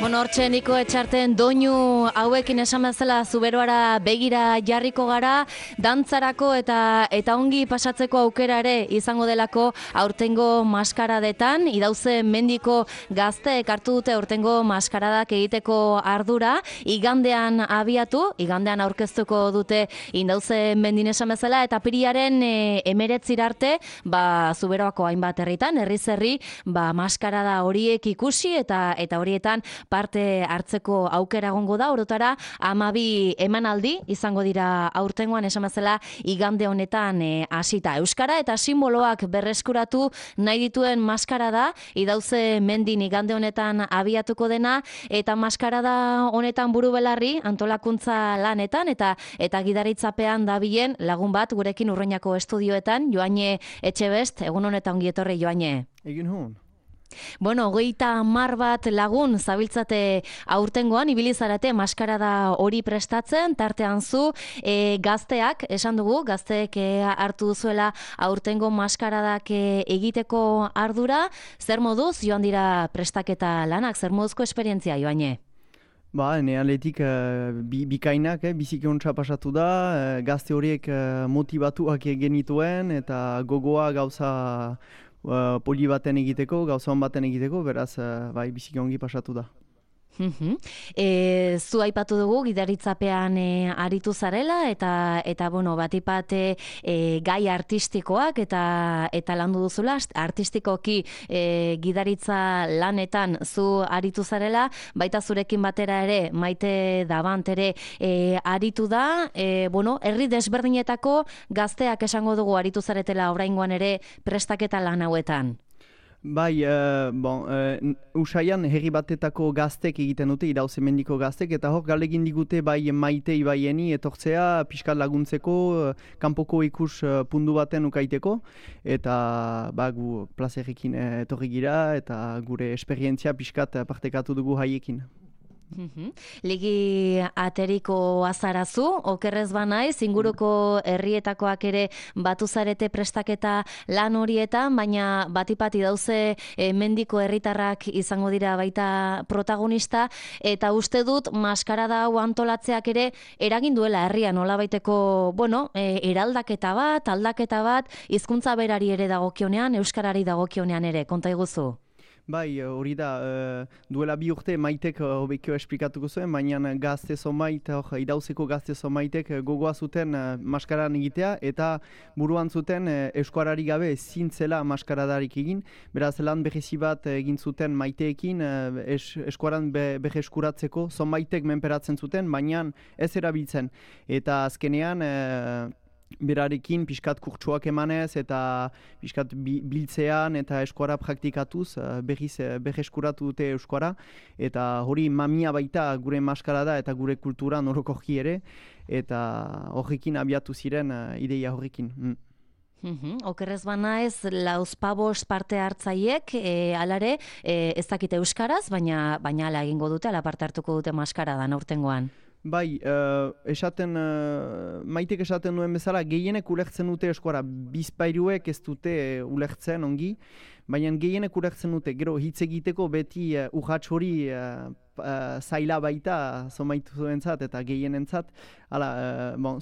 Bueno, hortxe Niko Etxarten doinu hauekin esan bezala Zuberoara begira jarriko gara, dantzarako eta ongi pasatzeko aukera ere izango delako aurtengo maskaradetan. Idauze mendiko gazteek hartu dute aurtengo maskaradak egiteko ardura, igandean abiatu, igandean aurkeztuko dute Indauze mendin esan bezala, eta apiriaren 19 arte, Zuberoako hainbat herritan, herriz herri, maskarada horiek ikusi eta horietan parte hartzeko aukera egongo da. Orotara 12 emanaldi izango dira aurtengoan, esan bezala igande honetan hasita. Euskara eta simboloak berreskuratu nahi dituen maskarada Idauze mendin igande honetan abiatuko dena, eta maskarada honetan buru belarri antolakuntza lanetan eta gidaritzapean dabilen lagun bat gurekin Urruñako estudioetan, Joane Etxebest. Egun honetan ongi etorri, Joane. Egin hon. Bueno, 30 bat lagun zabiltzate aurtengoan, ibilizarate maskarada hori prestatzen, tartean zu, gazteak, esan dugu, gazteek hartu duzuela aurtengo maskaradak egiteko ardura. Zer moduz joan dira prestaketa lanak, zer moduzko esperientzia, Joane? Nealetik bikainak, biziki ontsa pasatu da, gazte horiek motivatuak genituen eta gogoa gauza poli baten egiteko, gauza hon baten egiteko, beraz, biziki ongi pasatu da. Zu aipatu dugu gidaritzapean aritu zarela eta bueno, batipat gai artistikoak eta landu duzula, artistikoki gidaritza lanetan zu aritu zarela, baita zurekin batera ere Maite Dabant ere aritu da. Bueno, herri desberdinetako gazteak esango dugu aritu zaretela oraingoan ere prestaketa lan hauetan. Usaian herri batetako gaztek egiten dute, Idauze mendiko gaztek, eta hor galegin digute bai Maite ibaieni etortzea pixkat laguntzeko, kanpoko ikus pundu baten ukaiteko, eta gu plazerrekin etorri gira eta gure esperientzia pixkat partekatu dugu haiekin. Ligi ateriko azarazu, okerrez banaiz, inguruko herrietakoak ere batu zarete prestaketa lan horietan, baina batipat Idauze mendiko herritarrak izango dira baita protagonista, eta uste dut maskarada hau antolatzeak ere eragin duela herrian nolabaiteko, eraldaketa bat, aldaketa bat, hizkuntza berari ere dagokionean, euskarari dagokionean ere, konta iguzu. Hori da, duela 2 urte Maitek hobekio esplikatuko zuen, baina gazte zomait, Idauzeko gazte zomaitek gogoa zuten maskaran egitea, eta buruan zuten euskarari gabe zintzela maskaradarik egin. Beraz, lan berezi bat egin zuten Maiteekin, eskoaran berreskuratzeko, zomaitek menperatzen zuten, baina ez erabiltzen. Eta azkenean, berarekin pixkat kurtsuak emanez eta pixkat biltzean eta eskuara praktikatuz berreskuratu dute euskara, eta hori mamia baita gure maskarada eta gure kultura orokorki ere, eta horrekin abiatu ziren ideia horrekin. Okerrez banaiz, lauzpabost parte hartzaiek, alare, ez dakite euskaraz, baina ala egingo dute, ala parte hartuko dute maskaradan aurtengoan. Maitek esaten duen bezala, gehienek ulertzen dute eskuara, bizpairuek ez dute ulertzen ongi, baina gehienek ulertzen dute, gero hitz egiteko beti urrats hori zaila baita zomaitu eta gehienentzat.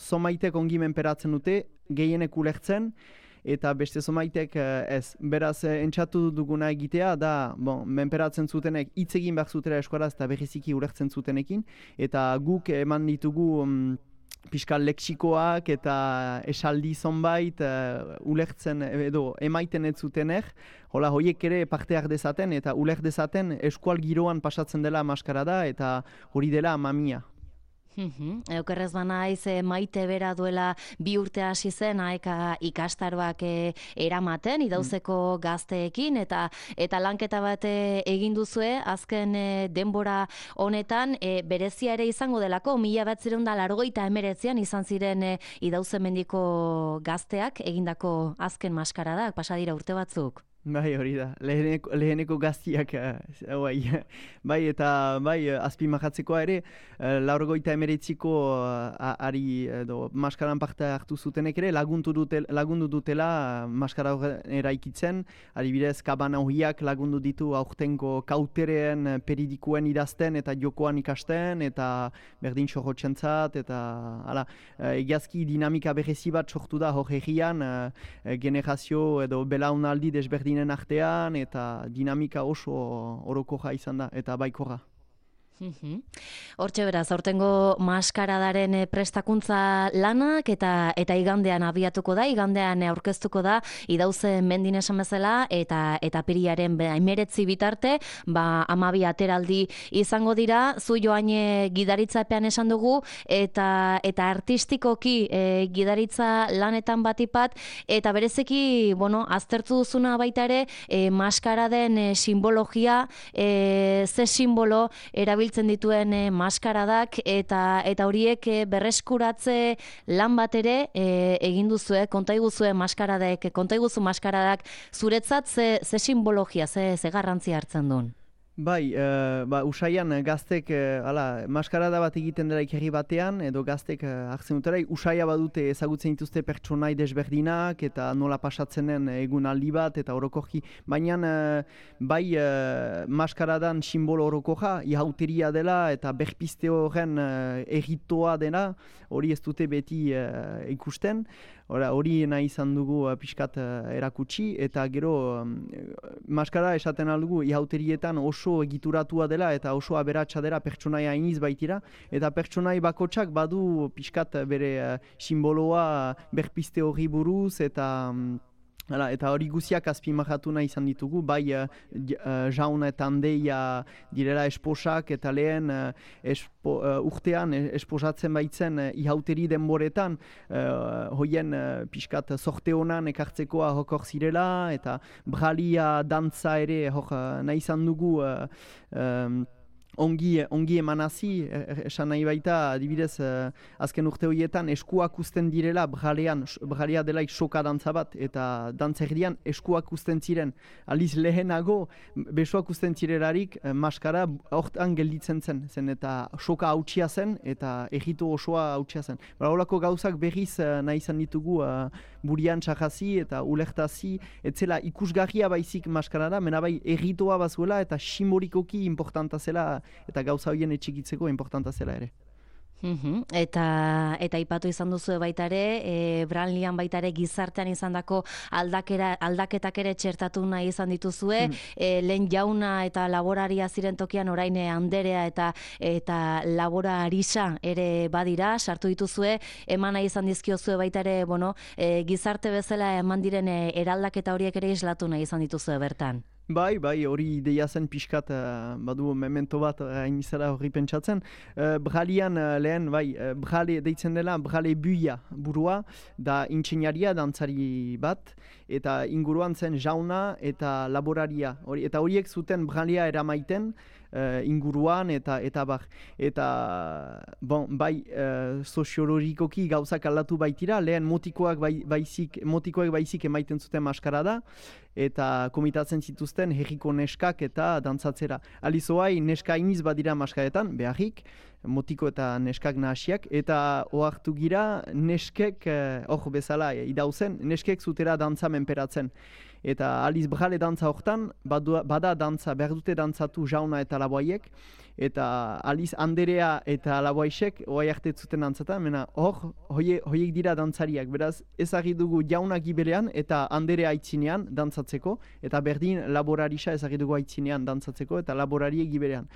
Zomaitek ongi menperatzen dute, gehienek ulertzen, eta beste zomaitek ez. Beraz, entzatu duguna egitea da, menperatzen zutenek hitz egin behar zutela eskoraz eta berriziki ulertzen zutenekin, eta guk eman ditugu pixkal leksikoak eta esaldi zonbait ulertzen edo emaiten ez zutenek, horiek ere parte har dezaten eta uler dezaten eskual giroan pasatzen dela maskarada eta hori dela mamia. Eukerrez banaiz, Maite bera duela 2 urte hasi zen aeka ikastaroak eramaten Idauzeko gazteekin, eta lanketa bat egin duzue azken denbora honetan, berezia ere izango delako 1989an izan ziren Idauze mendiko gazteak egindako azken maskaradak, pasa dira urte batzuk. Bai, hori da. Leheneko gaztiak, bai, eta bai, azpimarratzekoa ere, 89ko ari edo maskaran parte hartu zutenek ere lagundu dutela maskara eraikitzen, adibidez kabana hoiak lagundu ditu aurtengo kautereen peridikuen idazten eta jokoan ikasten, eta berdin sorrotxentzat, eta egiazki dinamika berezi bat sortu da hor egian, generazio edo belaunaldi desberdin artean, eta dinamika oso orokoja izan da, eta baikorra. Hortxe beraz, aurtengo maskaradaren prestakuntza lanak eta igandean abiatuko da, igandean aurkeztuko da, idauze mendin esan bezala, eta apiriaren 19 bitarte, 12 ateraldi izango dira, zu Joane gidaritzapean esan dugu, eta artistikoki gidaritza lanetan batipat, eta berezeki, aztertu duzuna baita ere, maskaraden simbologia, ze simbolo erabiltzen dituen maskaradak eta horiek berreskuratze lan bat ere egin duzue, konta iguzue maskaradak zuretzat ze simbologia, ze garrantzia hartzen duen? Bai, usaian gaztek maskarada bat egiten dela ikerri batean, edo gaztek hartzen dutera, usaia badute ezagutzen dituzte pertsonai desberdinak, eta nola pasatzen den egun aldi bat, eta orokorki. Baina, maskaradan simbolo orokoja, ihauteria dela, eta berpiste horren egitoa dena, hori ez dute beti ikusten. Hori nahi izan dugu pixkat erakutsi, eta gero maskara esaten aldugu ihauterietan oso egituratua dela eta oso aberatsa dela pertsonaia iniz baitira, eta pertsonai bakotsak badu pixkat bere simboloa berpiste hori buruz, eta hori guziak azpimarratu nahi izan ditugu, bai jauna eta handeia direla esposak, eta lehen urtean esposatzen baitzen ihauteri denboretan, hoien pixkat sorte honan ekartzekoa hokor zirela, eta bralia dantza ere nahi izan dugu ongi emanazi, esan nahi baita, adibidez, azken urte horietan eskuak uzten direla, bralia delaik soka dantza bat, eta dantzerdian eskuak uzten ziren. Aliz lehenago, besoak uzten zirelarik, maskara hortan gelditzen zen, eta soka hautsia zen, eta egito osoa hautsia zen. Horako gauzak berriz nahi izan ditugu burian txajazi eta ulertazi, etzela ikusgarria baizik maskarara, mena bai egitoa bazuela, eta simbolikoki importanta zela, eta gauza horien etxikitzeko importanta zela ere. Eta ipatu izan duzu baita ere, Branlian baita ere gizartean izandako aldaketak ere txertatu nahi izan dituzue, lehen jauna eta laboraria ziren tokian orain anderea eta laborarisa ere badira, sartu dituzue, eman nahi izan dizkiozue baita ere, gizarte bezala eman diren eraldaketa horiek ere islatu nahi izan dituzue bertan. Bai, hori ideia zen pixkat, badu memento bat hain izara hori pentsatzen. Bralian lehen, brale deitzen dela, brale buia burua, da intxeinaria dantzari bat, eta inguruan zen jauna eta laboraria. Eta horiek zuten bralea eramaiten inguruan eta bar. Eta, soziologikoki gauzak aldatu baitira, lehen motikoak baizik emaiten zuten maskarada, eta komitatzen zituzten herriko neskak eta dantzatzera. Alizoai neska iniz badira maskaretan, beharrik, motiko eta neskak nahasiak, eta ohartu gira neskek, hor bezala idauzen, neskek zutera dantza menperatzen. Eta aliz brale dantza hortan, bada dantza, behar dute dantzatu jauna eta laboaiek, eta aliz anderea eta laboaisek oai arte zuten dantzatan, mena hoiek dira dantzariak, beraz ezagri dugu jauna gibelean eta anderea aitzinean dantzatzeko, eta berdin laborarisa ezagri dugu aitzinean dantzatzeko, eta laborarie gibelean.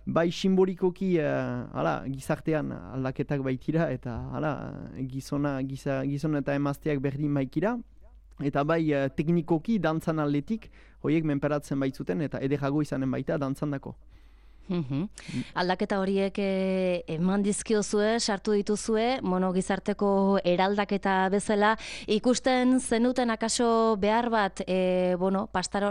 Bai simbolikoki gizartean aldaketak baitira, eta gizona eta emazteak berdin baikira, eta bai teknikoki dantzan aldetik hoiek menperatzen baitzuten eta ederago izanen baita dantzandako. Aldaketa horiek eman dizkiozue, sartu dituzue, gizarteko eraldaketa bezala, ikusten zenuten akaso behar bat,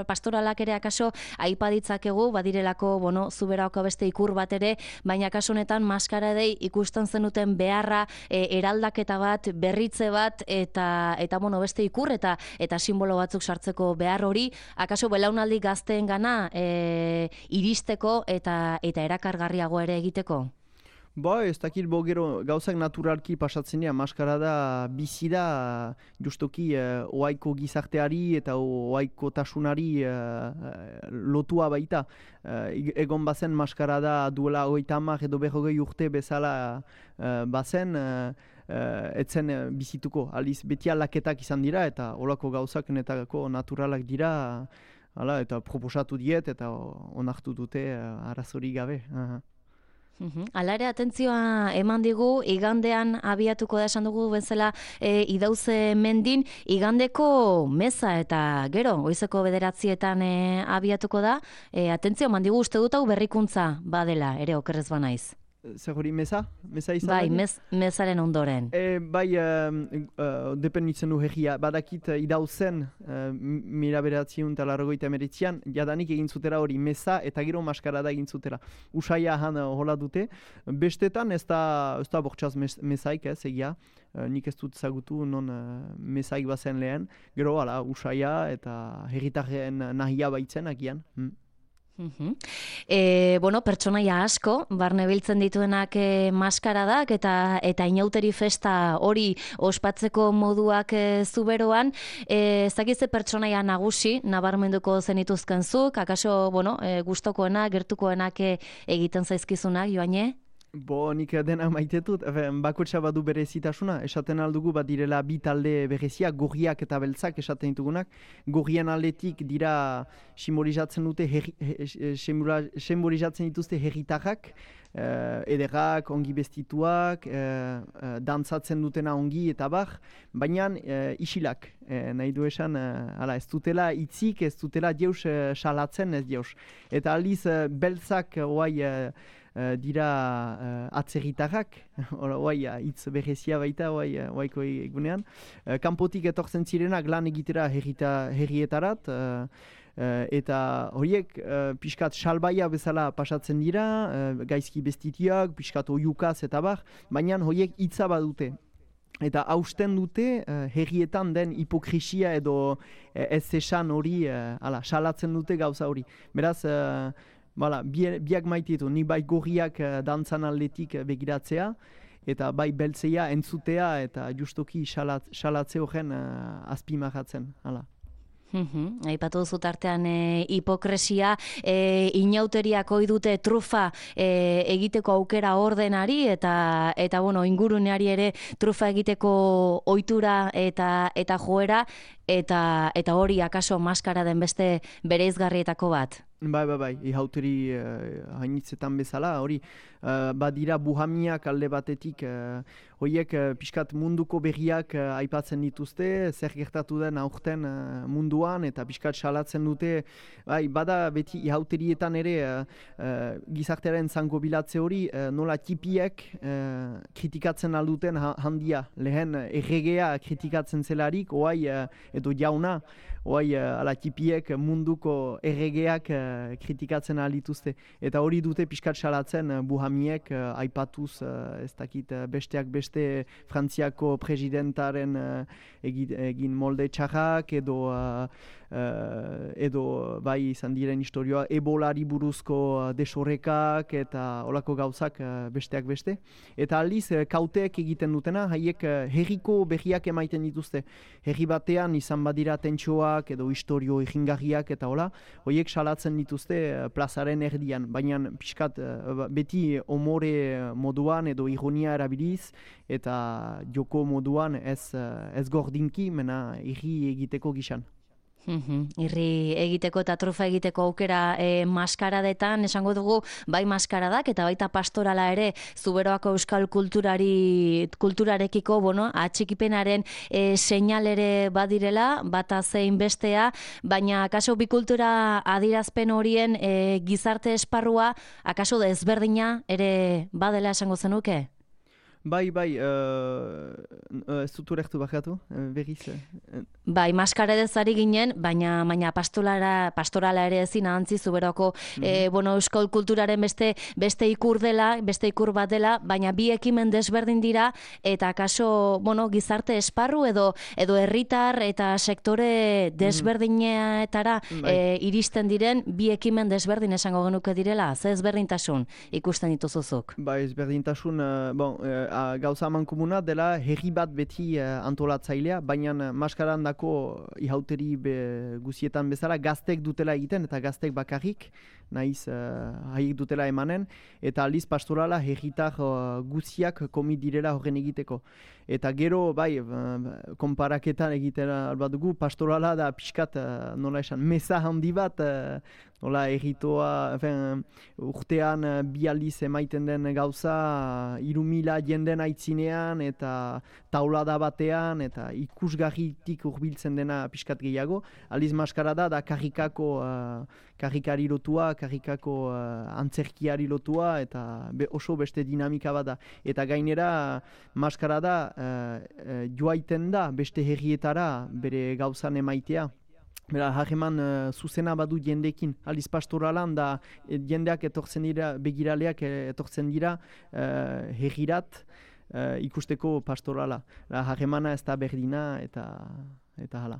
pastoralak ere akaso aipa ditzakegu, badirelako, Zuberaoko beste ikur bat ere, baina akaso honetan maskara dei ikusten zenuten beharra, eraldaketa bat, berritze bat, eta beste ikur eta simbolo batzuk sartzeko behar hori, akaso belaunaldi gazteen gana iristeko eta erakargarriago ere egiteko? Ez dakit gero gauzak naturalki pasatzen dira, maskarada bizi da justoki oaiko gizarteari eta oaiko tasunari lotua baita. Egon bazen maskarada duela 30 edo 40 urte bezala bazen, etzen bizituko. Aliz beti aldaketak izan dira eta olako gauzak netako naturalak dira. Hala, eta proposatu diet eta onartu dute arazorik gabe. Hala ere, atentzioa eman digu, igandean abiatuko da esan dugu bezala idauze mendin, igandeko meza eta gero, goizeko 9:00 abiatuko da, atentzioa eman digu uste dut hau berrikuntza badela, ere okerrez banaiz. Zer hori meza? Meza izan? Bai, mezaren ondoren. Dependitzen du herria. Badakit idauzen, 1989an, jadanik egin zutera hori meza eta gero maskarada egin zutera. Usaia han hola dute. Bestetan ez da bortxaz mezaik, egia. Nik ez dut zagutu non mezaik bazen lehen. Gero, usaia eta herritarren nahia baitzen agian. Pertsonaia asko, barne biltzen dituenak maskaradak eta inauteri festa hori ospatzeko moduak Zuberoan, ezakitze pertsonaia nagusi, nabarmenduko zenituzkenzuk, akaso, gustokoenak, gertukoenak egiten zaizkizunak, Joane? Nik dena maitetut, bakotxa badu berezitasuna, esaten aldugu direla bi talde bereziak, gorriak eta beltzak esaten ditugunak. Gorrien aldetik dira simbolizatzen dituzte herritarrak, ederrak, ongi bestituak, dantzatzen dutena ongi eta bar, baina isilak, nahi du esan, ez dutela itzik, ez dutela deus salatzen ez deus. Eta aldiz beltzak dira atzerritarrak, hitz berezia baita oaiko egunean. Kanpotik etortzen zirenak lan egitera herrietarat, eta horiek pixkat salbaia bezala pasatzen dira, gaizki bestitiak, pixkat oiukaz eta bar, baina horiek hitza badute. Eta hausten dute herrietan den hipokrisia edo ez esan hori, salatzen dute gauza hori. Beraz, biak maititu, ni bai gorriak dantzan aldetik begiratzea, eta bai beltzeia entzutea eta justoki salatze horren azpimarratzen. Aipatu duzut artean hipokresia, inauteriak ohi dute trufa egiteko aukera ordenari eta inguruneari ere trufa egiteko ohitura eta joera, eta hori akaso maskara den beste bereizgarrietako bat. Bai, ihauteri hainitzetan bezala, hori badira buhamiak alde batetik, horiek pixkat munduko berriak aipatzen dituzte, zer gertatu den aurten munduan, eta pixkat salatzen dute, bada beti ihauterietan ere gizartearen zango bilatze hori, nola tipiek kritikatzen alduten handia, lehen erregea kritikatzen zelarik, edo jauna, ala tipiek munduko erregeak kritikatzen dituzte. Eta hori dute pixkat salatzen buhamiek aipatuz, ez dakit besteak beste Frantziako presidentaren egin molde txarrak edo bai izan diren historioa ebolari buruzko desorekak eta olako gauzak besteak beste. Eta aldiz kauteek egiten dutena, haiek herriko berriak emaiten dituzte. Herri batean izan badira tentsioak edo historio egingarriak eta horiek salatzen dituzte plazaren erdian, baina pixkat beti omore moduan edo ironia erabiliz eta joko moduan ez gordinki, mena irri egiteko gizan. Irri egiteko eta trufa egiteko aukera maskaradetan, esango dugu, bai maskaradak eta baita pastorala ere, Zuberoako euskal kulturarekiko, atxikipenaren seinal ere badirela, bata zein bestea, baina akaso bi kultura adirazpen horien gizarte esparrua, akaso desberdina ere badela esango zenuke? Bai, ez dut urektu bakatu, berriz. Bai, maskaradez ari ginen, baina pastorala ere ezin ahantzi Zuberoko euskal kulturaren beste ikur dela, beste ikur bat dela, baina bi ekimen desberdin dira, eta akaso, gizarte esparru edo herritar eta sektore desberdineetara iristen diren bi ekimen desberdin esango genuke direla, ze ezberdintasun ikusten dituzuzuk? Bai, ezberdintasun, gauza mankomuna dela herri bat beti antolatzailea, baina maskaran dako ihauteri guzietan bezala gaztek dutela egiten eta gaztek bakarrik, nahiz haiek dutela emanen, eta aldiz pastorala herritar guziak komi direla horren egiteko. Eta gero, bai, konparaketan egiten albadugu, pastorala da pixkat, nola esan, meza handi bat, nola erritoa, urtean bi aldiz emaiten den gauza, 3.000 jenden aitzinean, eta taulada batean, eta ikusgarritik hurbiltzen dena pixkat gehiago. Aldiz maskarada da karrikari lotua, karrikako antzerkiari lotua, eta oso beste dinamika bada. Eta gainera, maskarada joaiten da beste herrietara bere gauzan emaitea. Bera, harreman zuzena badu jendekin. Aldiz pastoralan da jendeak etortzen dira, begiraleak etortzen dira herrirat ikusteko pastorala. Harremana ez da berdina eta hala.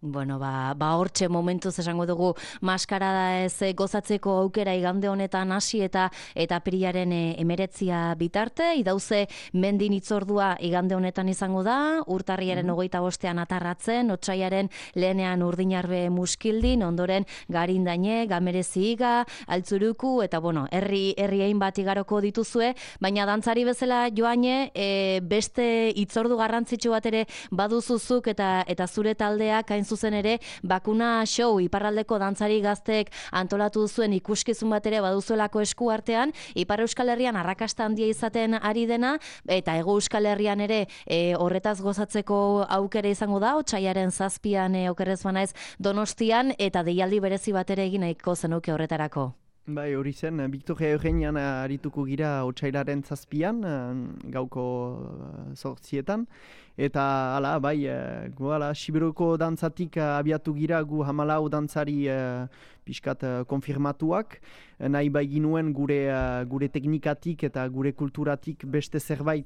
Hortxe momentuz esango dugu maskarada ez gozatzeko aukera igande honetan hasi eta apirilaren 19 bitarte, idauze mendin itzordua igande honetan izango da, urtarriaren 25ean atarratzen, otsaiaren lehenean Urdinarbe muskildin, ondoren Garindaine, Gamereziga, Altzuruku, eta herri hainbat igaroko dituzue, baina dantzari bezala Joane, beste itzordu garrantzitsu bat ere baduzuzuk eta zure taldeak hain zuzen ere bakuna show iparraldeko dantzari gazteek antolatu zuen ikuskizun bat ere baduzuelako esku artean, Ipar Euskal Herrian arrakasta handia izaten ari dena, eta Hego Euskal Herrian ere horretaz gozatzeko aukera izango da, otsaiaren 7an okerrez banaiz Donostian, eta deialdi berezi bat ere egin nahiko zenuke horretarako. Bai, hori zen, Victoria Eugenian arituko gira otsailaren 7an, gauko 8etan, eta hala, bai, Siberoko dantzatik abiatu gira gu 14 dantzari pixkat konfirmatuak, nahi bai ginuen gure teknikatik eta gure kulturatik beste zerbait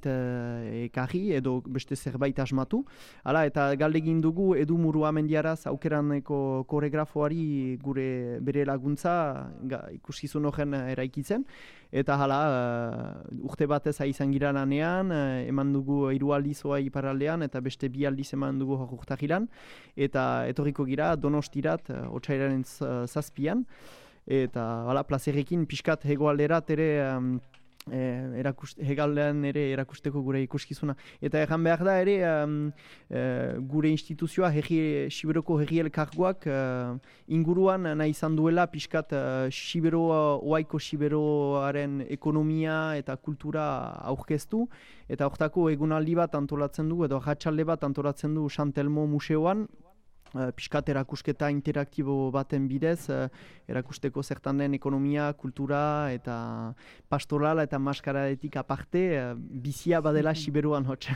ekarri edo beste zerbait asmatu. Hala, eta galdegin dugu Edu Muruamendiaraz aukeraneko koreografoari bere laguntza ikuskizun horren eraikitzen. Eta hala, urte batez izan gira lanean, eman dugu 3 aldiz oa iparraldean eta beste 2 aldiz eman dugu urtahilan. Eta etorriko gira Donostirat, otsailaren 7an. Eta plazerrekin pixkat hegoalderat ere hegaldean ere erakusteko gure ikuskizuna. Eta erran behar da ere gure instituzioa Siberoko herri elkargoak inguruan nahi izan duela pixkat oaiko Siberoaren ekonomia eta kultura aurkeztu, eta hortako egunaldi bat antolatzen du edo ratsalde bat antolatzen du Santelmo museoan, pixkat erakusketa interaktibo baten bidez, erakusteko zertan den ekonomia, kultura eta pastorala eta maskaradetik aparte, bizia badela Siberuan hotx.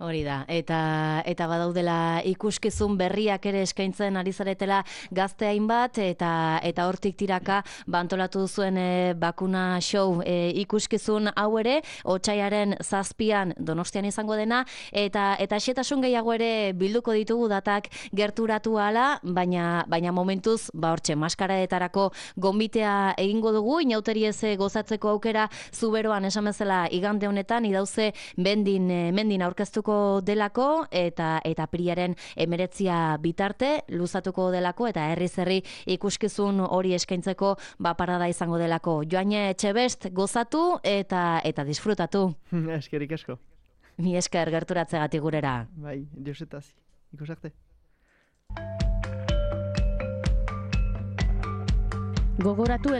Hori da, eta badaudela ikuskizun berriak ere eskaintzen ari zaretela gazte hainbat, eta hortik tiraka antolatu duzuen bakuna show ikuskizun hau ere, otsaiaren 7an Donostian izango dena, eta xetasun gehiago ere bilduko ditugu datak gerturatu ahala, baina momentuz, hortxe, maskaradetarako gonbitea egingo dugu, inauteri ez gozatzeko aukera Zuberoan esan bezala igande honetan, idauze mendin aurkeztuko delako, eta apirilaren 19 bitarte luzatuko delako, eta herri ikuskizun hori eskaintzeko parada izango delako. Joane Etxebest gozatu eta disfrutatu. Eskerik asko. Mi esker gerturatzegatik gurera. Bai, diosetaz. Ikusarte. Gogoratu